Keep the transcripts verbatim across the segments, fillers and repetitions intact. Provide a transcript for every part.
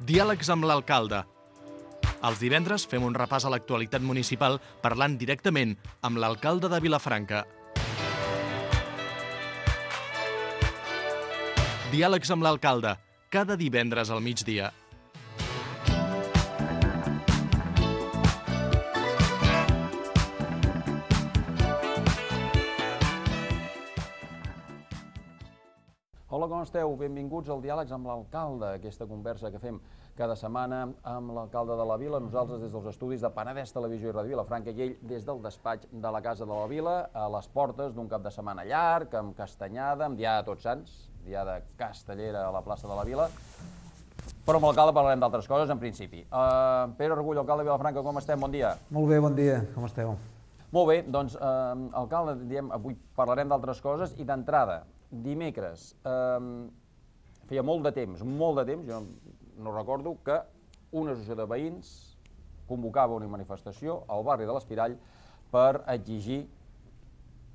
Diàlegs amb l'alcalde. Els divendres fem un repàs a l'actualitat municipal parlant directament amb l'alcalde de Vilafranca. Diàlegs amb l'alcalde, cada divendres al migdia. Hola, com esteu? Benvinguts al Diàlegs amb l'alcalde, aquesta conversa que fem cada setmana amb l'alcalde de la Vila, nosaltres des dels estudis de Penedès Televisió i Ràdio Vilafranca i ell des del despatx de la Casa de la Vila, a les portes d'un cap de setmana llarg, amb castanyada, amb Diada de Tots Sants, Diada castellera a la plaça de la Vila, però amb l'alcalde parlarem d'altres coses en principi. Uh, Pere Argull, alcalde de Vilafranca, com estem? Bon dia. Molt bé, bon dia, com esteu? Molt bé, doncs, uh, alcalde, diem, avui parlarem d'altres coses i d'entrada, dimecres, eh, feia molt de temps, molt de temps, jo no, no recordo, que una associació de veïns convocava una manifestació al barri de l'Espirall per exigir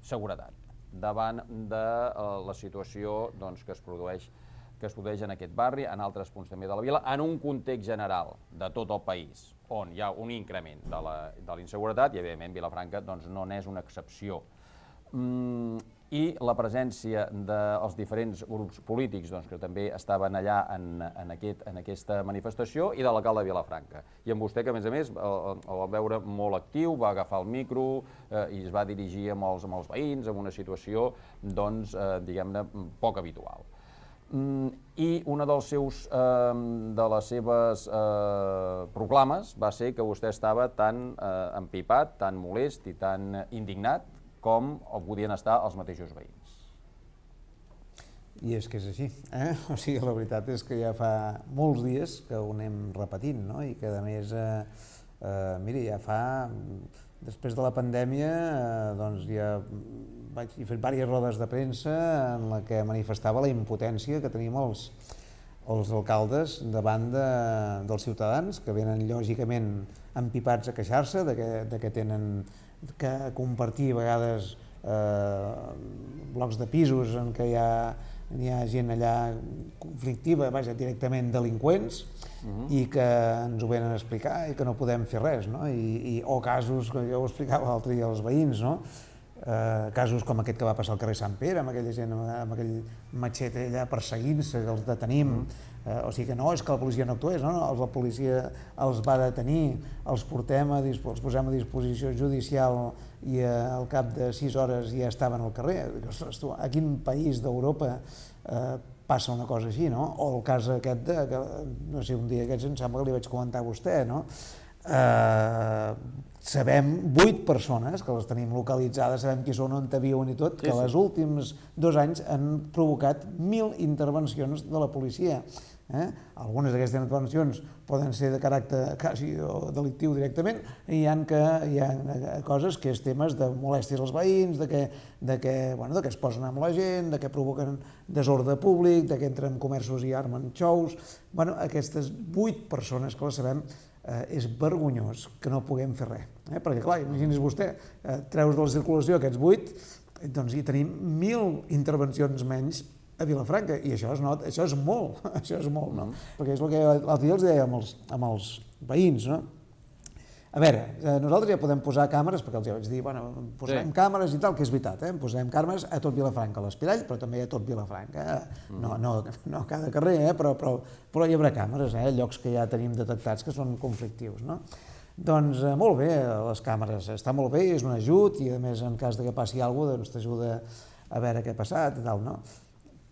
seguretat davant de eh, la situació doncs, que es produeix que es produeix en aquest barri, en altres punts també de la Vila, en un context general de tot el país, on hi ha un increment de la, de la inseguretat i, evidentment, Vilafranca doncs, no n'és una excepció. Mm, i la presència dels diferents grups polítics doncs, que també estaven allà en, en, aquest, en aquesta manifestació i de l'alcalde de Vilafranca. I amb vostè, que a més a més el, el va veure molt actiu, va agafar el micro eh, i es va dirigir amb els, amb els veïns en una situació doncs, eh, diguem-ne, poc habitual. Mm, I una dels seus, eh, de les seves eh, proclames va ser que vostè estava tan eh, empipat, tan molest i tan indignat com ho podien estar els mateixos veïns. I és que és així, eh? O sigui, la veritat és que ja fa molts dies que ho anem repetint, no? I que, a més, eh, eh, mira, ja fa, després de la pandèmia, eh, doncs ja vaig fer diverses rodes de premsa en la que manifestava la impotència que tenim els, els alcaldes davant de, dels ciutadans, que venen lògicament empipats a queixar-se de que, de que tenen que compartir a vegades eh, blocs de pisos en què hi ha, hi ha gent allà conflictiva, vaja, directament delinqüents, uh-huh. i que ens ho venen a explicar i que no podem fer res, no? I, i, o casos, que jo ho explicava l'altre dia als veïns, no? Eh, casos com aquest que va passar al carrer Sant Pere, amb aquella gent, amb aquell matxet allà perseguint-se, que els detenim, uh-huh. eh, o sigui que no, és que la policia no actués, no? No, la policia els va detenir, els portem a, els posem a disposició judicial i eh, al cap de sis hores ja estaven al carrer. Ostres, tu, a quin país d'Europa eh, passa una cosa així, no? O el cas aquest de, que, no sé, un dia aquests em sembla que li vaig comentar a vostè, no? Eh, sabem vuit persones que les tenim localitzades, sabem qui són, on viuen i tot, que sí, sí. Els últims dos anys han provocat mil intervencions de la policia. Eh? Algunes d'aquestes intervencions poden ser de caràcter quasi delictiu directament, i hi ha, que, hi ha coses que és temes de molèsties als veïns, de que, de que, bueno, de que es posen amb la gent, de que provoquen desordre públic, de que entren en comerços i armen xous. Bueno, aquestes vuit persones que les sabem, eh, és vergonyós que no puguem fer res. Eh? Perquè, clar, imagini's vostè, eh, treus de la circulació aquests vuit, doncs hi tenim mil intervencions menys a Vilafranca, i això es nota, això és molt, això és molt, no? Perquè és el que l'altre dia els deia amb els, amb els veïns, no? A veure, eh, nosaltres ja podem posar càmeres, perquè els ja vaig dir, bueno, posarem sí. càmeres i tal, que és veritat, eh? Posarem càmeres a tot Vilafranca, a l'Espirall, però també a tot Vilafranca, eh? no, no, no a cada carrer, eh? però, però, però hi haurà càmeres, eh? Llocs que ja tenim detectats que són conflictius, no? Doncs eh, molt bé, les càmeres, està molt bé, és un ajut, i a més en cas de que passi alguna cosa, doncs t'ajuda a veure què ha passat i tal, no?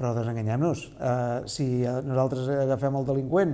Però desenganyem-nos, eh, si nosaltres agafem el delinqüent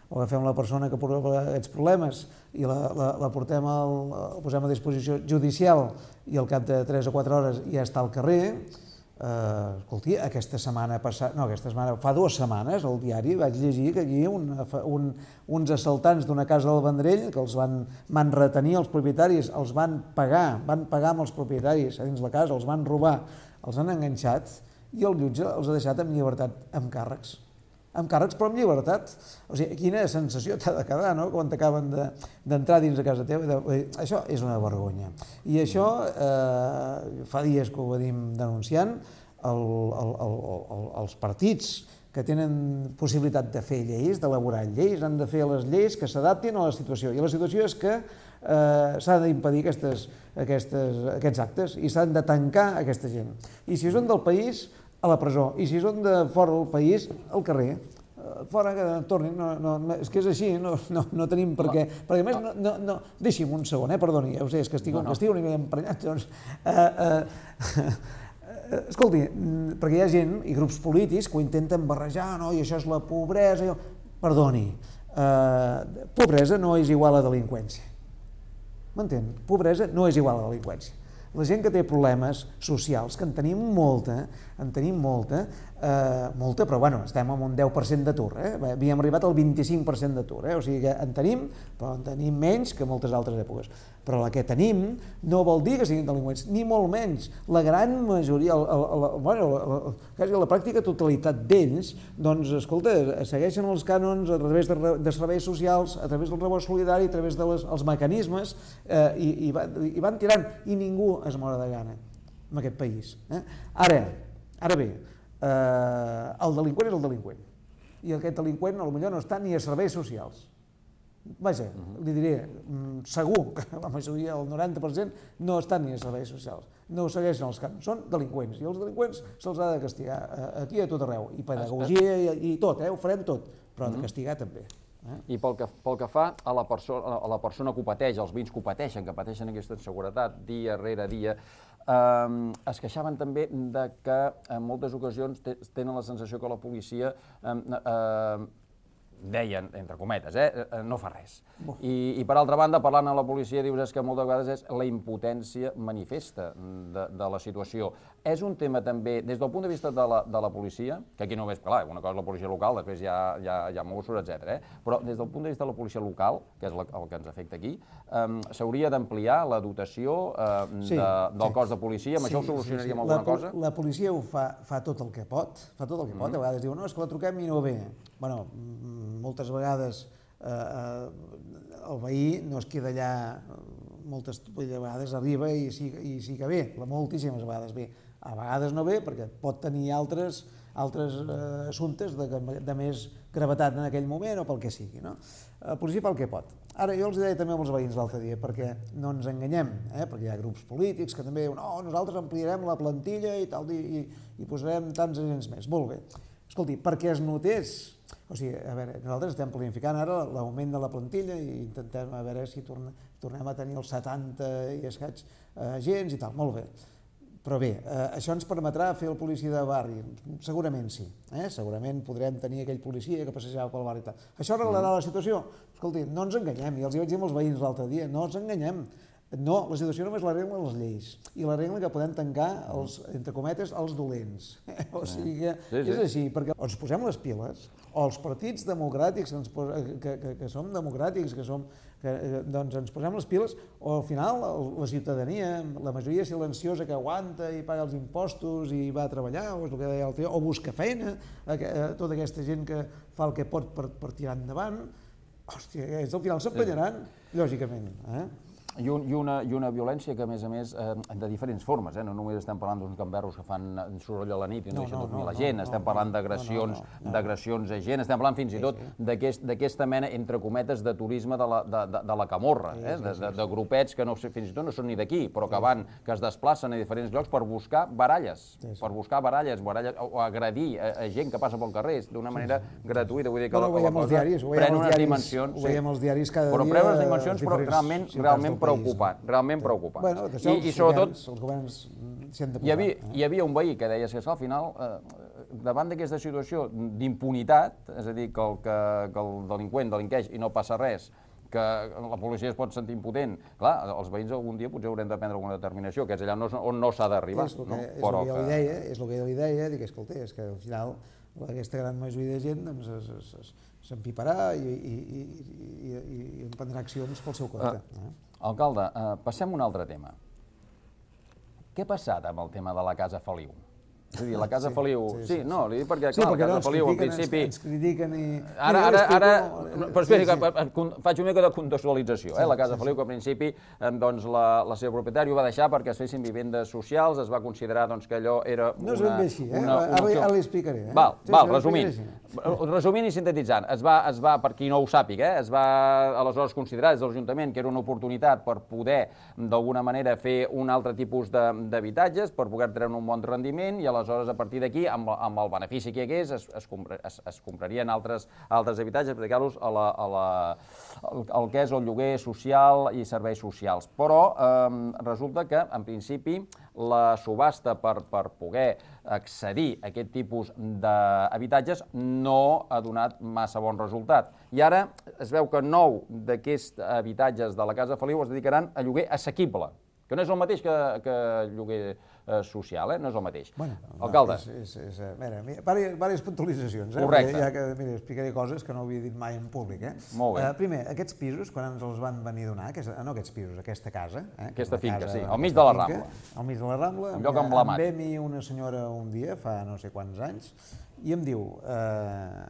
o agafem la persona que provoca aquests problemes i la, la, la portem al, la posem a disposició judicial i al cap de tres o quatre hores ja està al carrer, eh, escolti, aquesta setmana passada, no, aquesta setmana, fa dues setmanes al diari vaig llegir que aquí un, un, uns assaltants d'una casa del Vendrell, que els van, van retenir els propietaris, els van pagar, van pagar amb els propietaris a dins la casa, els van robar, els han enganxat, i el jutge els ha deixat amb llibertat, amb càrrecs. Amb càrrecs, però amb llibertat. O sigui, quina sensació t'ha de quedar, no?, quan t'acaben d'entrar dins de casa teva. De... Això és una vergonya. I això, eh, fa dies que ho venim denunciant, el, el, el, el, els partits que tenen possibilitat de fer lleis, d'elaborar lleis, han de fer les lleis que s'adaptin a la situació. I la situació és que eh, s'ha d'impedir aquestes, aquestes, aquests actes i s'han de tancar aquesta gent. I si són del país, a la presó. I si són de fora del país, al carrer. Fora que tornin, no, no, és que és així, no, no, no tenim per què. Perquè a més, no, no, no, deixi'm un segon, eh, perdoni, ja ho sé, és que estic, no, no. que estic una mica emprenyat, doncs... Eh, eh, escolti, perquè hi ha gent i grups polítics que ho intenten barrejar, no, i això és la pobresa... Jo... Perdoni, eh, pobresa no és igual a delinqüència. M'entén? Pobresa no és igual a delinqüència. La gent que té problemes socials, que en tenim molta, en tenim molta, eh, molta, però bueno, estem en un deu per cent d'atur, eh? Havíem arribat al vint-i-cinc per cent d'atur, eh? O sigui que en tenim, però en tenim menys que moltes altres èpoques. Però la que tenim no vol dir que siguin delinqüents, ni molt menys. La gran majoria, el, el, el, bueno, la, quasi la pràctica totalitat d'ells, doncs, escolta, segueixen els cànons a través de, de serveis socials, a través del rebost solidari, a través dels de mecanismes, eh, i, i, va, i van tirant, i ningú es mora de gana en aquest país. Eh? Ara, ara bé, eh, el delinqüent és el delinqüent, i aquest delinqüent potser no està ni a serveis socials. Vaja, li diré, segur que la majoria, el noranta per cent, no estan ni a serveis socials, no ho segueixen els cànons, són delinqüents, i els delinqüents se'ls ha de castigar aquí a tot arreu, i pedagogia i, i tot, eh? Ho farem tot, però de castigar també. Eh? I pel que, pel que fa a la, persona, a la persona que ho pateix, als veïns que ho pateixen, que pateixen aquesta inseguretat dia rere dia, eh, es queixaven també de que en moltes ocasions tenen la sensació que la policia eh, eh, deien, entre cometes, eh, no fa res. I, i per altra banda, parlant amb la policia, dius és que moltes vegades és la impotència manifesta de, de la situació. És un tema també, des del punt de vista de la, de la policia, que aquí només, clar, una cosa és la policia local, després hi ha, hi ha, hi ha Mossos, etcètera, eh? Però des del punt de vista de la policia local, que és la, el que ens afecta aquí, eh, s'hauria d'ampliar la dotació eh, sí, de, del sí. cos de policia, amb sí, això ho solucionaríem sí, sí. alguna la, cosa? La policia ho fa, fa tot el que pot, fa tot el que mm. pot, a vegades diu, no, és que la truquem i no ve. Bueno, moltes vegades eh, el veí no es queda allà, moltes vegades arriba i sí, i sí que ve, moltíssimes vegades ve. A vegades no ve perquè pot tenir altres, altres eh, assumptes de, de més gravetat en aquell moment o pel que sigui. No? La policia fa el que pot. Ara, jo els deia també als veïns l'altre dia, perquè no ens enganyem, eh? Perquè hi ha grups polítics que també diuen no, nosaltres ampliarem la plantilla i, tal, i, i posarem tants agents més. Molt bé. Escolti, perquè es notés. O sigui, a veure, nosaltres estem planificant ara l'augment de la plantilla i intentem a veure si tornem, tornem a tenir els setanta i escaig agents i tal, molt bé. Però bé, eh, això ens permetrà fer el policia de barri? Segurament sí, eh? Segurament podrem tenir aquell policia que passejava pel barri i tal. Això arreglarà la situació? Escolti, no ens enganyem, i els hi vaig dir als veïns l'altre dia, no ens enganyem. No, la situació només l'arreglen les lleis i l'arreglen que podem tancar, els, entre cometes, els dolents. O sigui que sí, sí. És així, perquè o ens posem les piles, o els partits democràtics, que, ens pos, que, que, que som democràtics, que, som, que doncs ens posem les piles, o al final la ciutadania, la majoria silenciosa que aguanta i paga els impostos i va a treballar, o és el que deia el tio, o busca feina, tota aquesta gent que fa el que pot per, per tirar endavant, hòstia, ells al final s'empenyaran, lògicament, eh? I, un, i, una, i una violència que, a més a més, eh, de diferents formes, eh? No només estem parlant d'uns gamberros que fan soroll a la nit i no, no deixen dormir no, la gent, no, estem no, parlant d'agressions no, no, no, d'agressions a gent, estem parlant fins i tot sí, sí. d'aquesta mena, entre cometes, de turisme de la, de, de, de la camorra, sí, eh? de, de, de grupets que no, fins i tot no són ni d'aquí, però que van, que es desplacen a diferents llocs per buscar baralles, sí, sí. per buscar baralles, baralles o agredir a, a gent que passa pel carrer d'una manera sí, sí. gratuïta, vull dir que bueno, la, la cosa diaris, pren unes dimensions, ho veiem als diaris cada però dia, pren unes dimensions, però realment, realment preocupant, realment preocupant. Bueno, això I, i sobretot, els governs s'hi han de posar. Hi havia, eh? hi havia un veí que deia que al final, eh, davant d'aquesta situació d'impunitat, és a dir, que el, que, que el delinqüent delinqueix i no passa res, que la policia es pot sentir impotent, clar, els veïns algun dia potser haurem de prendre alguna determinació, que és allà on no s'ha d'arribar. És el que, no? és Però el que, que... deia, és el que jo li deia, dic, escolta, és que al final aquesta gran majoria de gent doncs, s'empiparà i, i, i, i, i emprendrà accions pel seu compte. Uh, eh? Alcalde, uh, passem a un altre tema. Què ha passat amb el tema de la Casa Feliu? És a dir, la Casa Sí, Feliu... sí, Sí, sí, no, li dic perquè, Sí, clar, perquè la no, Casa ens Feliu, al critiquen, principi... ens, ens critiquen i... Ara, Mira, ara, jo ara... explico- Però espera, sí, sí. que faig una mica de contextualització. eh? La Casa sí, Feliu, que al principi eh, doncs, la, la seva propietària ho va deixar perquè es fessin vivendes socials, es va considerar doncs, que allò era una... No és ben bé així, eh? una, una Ara, opció. ara li explicaré. Eh? Val, Sí, val, sí, ara resumint. explicaré Resumint i sintetitzant, es va, es va, per qui no ho sàpiga, eh, es va aleshores considerar des de l'Ajuntament que era una oportunitat per poder, d'alguna manera, fer un altre tipus d'habitatges, per poder treure un bon rendiment, i aleshores, a partir d'aquí, amb, amb el benefici que hi hagués, es, es, compra, es, es comprarien altres, altres habitatges per dedicar-los a la, a la, al, al que és el lloguer social i serveis socials. Però eh, resulta que, en principi, la subhasta per, per poder accedir a aquest tipus d'habitatges no ha donat massa bon resultat. I ara es veu que nou d'aquests habitatges de la Casa Feliu es dedicaran a lloguer assequible, que no és el mateix que, que lloguer eh, social, eh? No és el mateix. Bueno, Alcalde. És, és, és, mira, mira, diverses puntualitzacions. Eh? Correcte. Ja que, mira, explicaré coses que no havia dit mai en públic. Eh? Molt bé. Uh, primer, aquests pisos, quan ens els van venir a donar, aquesta, no aquests pisos, aquesta casa... Eh? Aquesta finca, casa, sí, al mig de la finca, Rambla. Al mig de la Rambla. Un lloc emblemàtic. Em ve a mi una senyora un dia, fa no sé quants anys, i em diu, eh,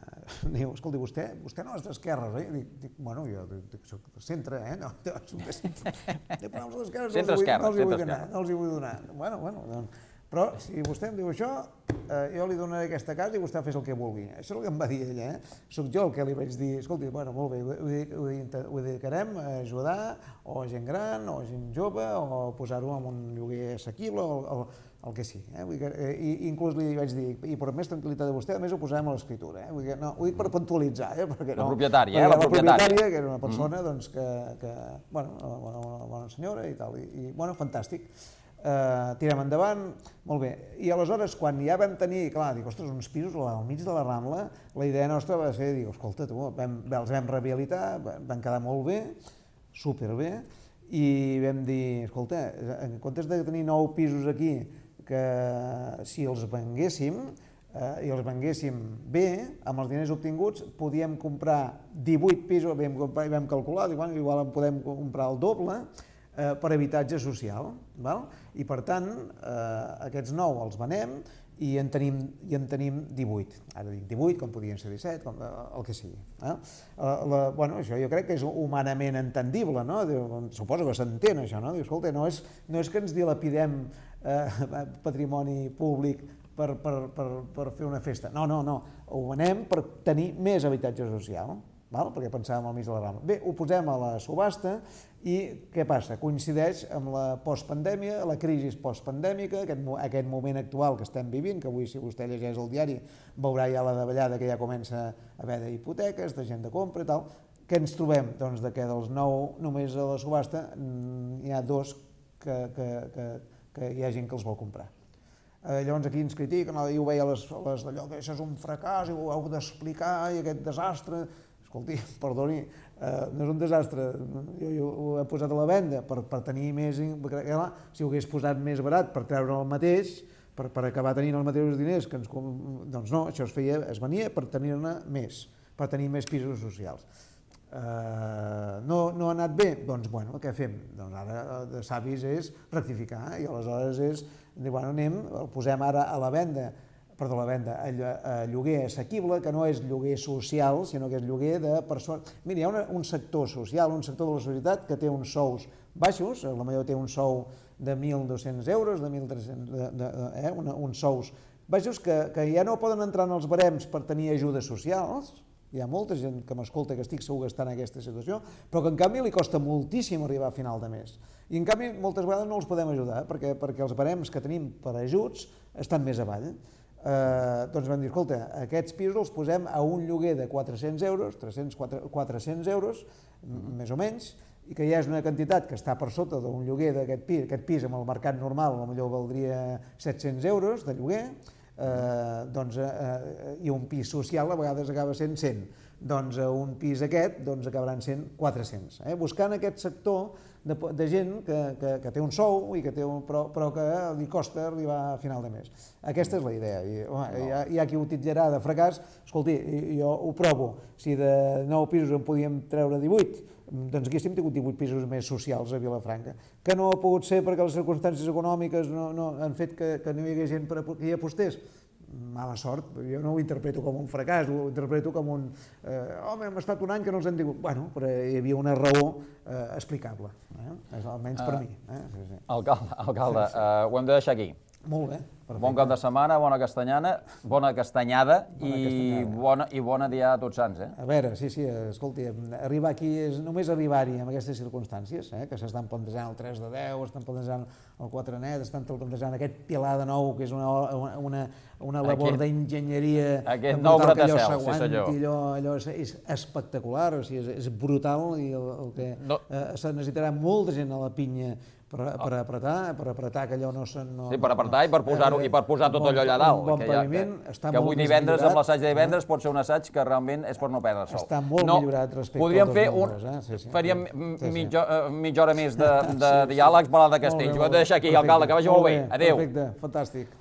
diu, escolti, vostè, vostè no és d'esquerres, oi? Dic, dic, bueno, jo dic, soc de centre, eh? No, no, soc de centre. Dic, però els d'esquerres no, els Centre-esquerra, no els hi vull donar, centre-esquerra. no els hi vull donar. Bueno, bueno, doncs, però si vostè em diu això, eh, jo li donaré aquesta casa i vostè fes el que vulgui. Això és el que em va dir ella, eh? Soc jo el que li vaig dir, escolti, bueno, molt bé, ho, ho, ho, ho dedicarem a ajudar o a gent gran, o a gent jove, o posar-ho en un lloguer assequible, o, o el que sí. Eh? Vull dir que, i inclús li vaig dir, i per més tranquil·litat de vostè, a més ho posarem a l'escriptura. Eh? Vull dir que, no, ho dic per puntualitzar. Eh? Perquè no, La propietària, eh? La, La la propietària. propietària, que era una persona, mm. doncs, que, que, bueno, una, una bona senyora i tal, i, i bueno, fantàstic. Uh, tirem endavant, molt bé. I aleshores, quan ja vam tenir, clar, dic, ostres, uns pisos al mig de la Rambla, la idea nostra va ser, dic, escolta, tu, vam, els vam rehabilitar, van quedar molt bé, superbé, i vam dir, escolta, en comptes de tenir nou pisos aquí, que si els venguéssim, eh, i els venguéssim bé, amb els diners obtinguts, podíem comprar divuit pisos, vam, comprar, vam calcular, dic, bueno, igual en podem comprar el doble, eh, per habitatge social, val? I per tant, eh, aquests nou els venem i en tenim, i en tenim divuit. Ara dic divuit, com podien ser disset, com, el que sigui. Eh? La, bueno, això jo crec que és humanament entendible, no? Suposo que s'entén això, no? Diu, escolta, no és, no és que ens dilapidem eh, patrimoni públic per, per, per, per fer una festa. No, no, no. Ho venem per tenir més habitatge social. Val? Perquè pensàvem al mig de la Rambla. Bé, ho posem a la subhasta i què passa? Coincideix amb la postpandèmia, la crisi postpandèmica, aquest, aquest moment actual que estem vivint, que avui si vostè llegeix el diari veurà ja la davallada que ja comença a haver d'hipoteques, de gent de compra i tal. Què ens trobem? Doncs que dels nou només a la subhasta n'hi ha dos que, que, que, que hi ha gent que els vol comprar. Eh, llavors aquí ens critiquen, jo ho veia a les, les d'allò que això és un fracàs i ho heu d'explicar i aquest desastre. Escolti, perdoni, eh, no és un desastre, jo, jo ho he posat a la venda per, per tenir més... Clar, si ho hagués posat més barat per treure el mateix, per, per acabar tenint els mateixos diners, que ens, doncs no, això es feia, es venia per tenir-ne més, per tenir més pisos socials. Eh, no, no ha anat bé? Doncs bueno, què fem? Doncs ara de savis és rectificar i aleshores és, bueno, anem, el posem ara a la venda, perdó, la venda, a lloguer assequible, que no és lloguer social, sinó que és lloguer de persones... Mira, hi ha una, un sector social, un sector de la societat que té uns sous baixos, la majoria té un sou de mil dos-cents euros, de mil tres-cents, de, de, eh, una, uns sous baixos que, que ja no poden entrar en els barems per tenir ajudes socials. Hi ha molta gent que m'escolta que estic segur que està en aquesta situació, però que en canvi li costa moltíssim arribar a final de mes. I en canvi moltes vegades no els podem ajudar, perquè, perquè els barems que tenim per ajuts estan més avall. Eh, doncs vam dir, escolta, aquests pisos els posem a un lloguer de quatre-cents euros, tres-cents, quatre-cents euros, més o menys, i que ja és una quantitat que està per sota d'un lloguer d'aquest pis, aquest pis amb el mercat normal potser valdria set-cents euros de lloguer, eh, doncs, eh, i un pis social a vegades acaba sent cent. Doncs un pis aquest doncs, acabaran sent quatre-cents. Eh? Buscant aquest sector de, de gent que, que, que té un sou i que té un, però, però que li costa arribar a final de mes. Aquesta és la idea. I, home, hi, ha, hi ha qui ho titllarà de fracàs. Escolti, jo ho provo. Si de nou pisos en podíem treure divuit, doncs aquí hem tingut divuit pisos més socials a Vilafranca, que no ha pogut ser perquè les circumstàncies econòmiques no, no han fet que, que no hi hagués gent per, que hi apostés. Mala sort, jo no ho interpreto com un fracàs, ho interpreto com un... Eh, home, hem estat un any que no els hem tingut... Bueno, però hi havia una raó eh, explicable, eh? Almenys per uh, mi. Eh? Sí, sí. Alcalde, alcalde sí, sí. Uh, ho hem de deixar aquí. Molt bé. Perfecte. Bon cap de setmana, bona castanyana, bona castanyada, bona i, castanyada. Bona, i bona dia a tots sants. Eh? A veure, sí, sí, escolti, arribar aquí és només arribar-hi en aquestes circumstàncies, eh? Que s'estan plantejant el tres de deu, estan plantejant el quatre net, estan plantejant aquest pilar de nou, que és una, una, una labor d'enginyeria. Aquest nou bratacel, sí senyor. Allò, allò és, és espectacular, o sigui, és, és brutal i el, el que no. eh, se necessitarà molta gent a la pinya per, per apretar, per apretar que allò no... no sí, per apretar i per posar-ho i per posar tot allò allà dalt. Un bon que, ja, paviment, que, està que molt avui divendres, millorat, amb l'assaig de divendres, eh? Pot ser un assaig que realment és per no perdre el sol. Està molt no, millorat respecte podríem als fer números, un, eh? Sí, sí, faríem sí, sí. mitja, mitja hora més de, de diàlegs parlant de Castells. Ho hem de deixar aquí, alcalde, que vagi molt bé. Adéu. Perfecte, fantàstic.